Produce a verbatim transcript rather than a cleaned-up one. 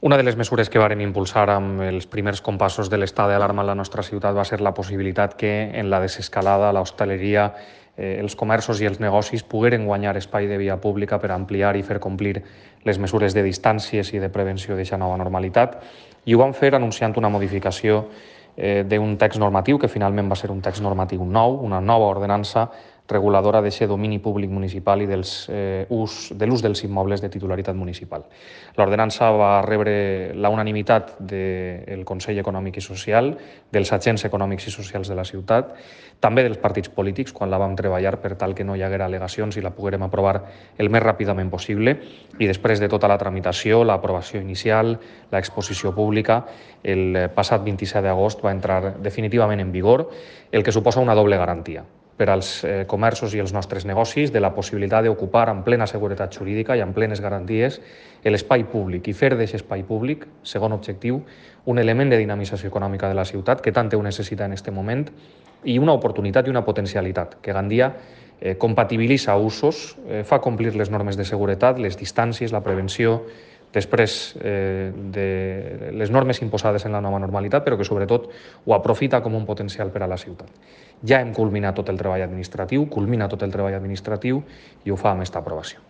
Una de les mesures que vàrem impulsar amb els primers compassos de l'estat d'alarma en la nostra ciutat va ser la possibilitat que en la desescalada, l'hostaleria, eh, els comerços i els negocis pogueren guanyar espai de via pública per ampliar i fer complir les mesures de distàncies i de prevenció d'aquesta nova normalitat. I ho vam fer anunciant una modificació eh, d'un text normatiu que finalment va ser un text normatiu nou, una nova ordenança reguladora d'aquest domini públic municipal i dels, eh, ús, de l'ús dels immobles de titularitat municipal. L'ordenança va rebre la unanimitat del Consell Econòmic i Social, dels agents econòmics i socials de la ciutat, també dels partits polítics, quan la vam treballar per tal que no hi haguera al·legacions i la poguérem aprovar el més ràpidament possible. I després de tota la tramitació, l'aprovació inicial, l'exposició pública, el passat vint-i-set d'agost va entrar definitivament en vigor, el que suposa una doble garantia per als eh, comerços i els nostres negocis de la possibilitat d'ocupar amb plena seguretat jurídica i amb plenes garanties l'espai públic i fer d'aquest espai públic, segon objectiu, un element de dinamització econòmica de la ciutat que tant ho necessita en aquest moment i una oportunitat i una potencialitat que Gandia eh, compatibilitza usos, eh, fa complir les normes de seguretat, les distàncies, la prevenció, després eh, de les normes imposades en la nova normalitat, però que sobretot ho aprofita com un potencial per a la ciutat. Ja hem culminat tot el treball administratiu, culmina tot el treball administratiu i ho fa amb aquesta aprovació.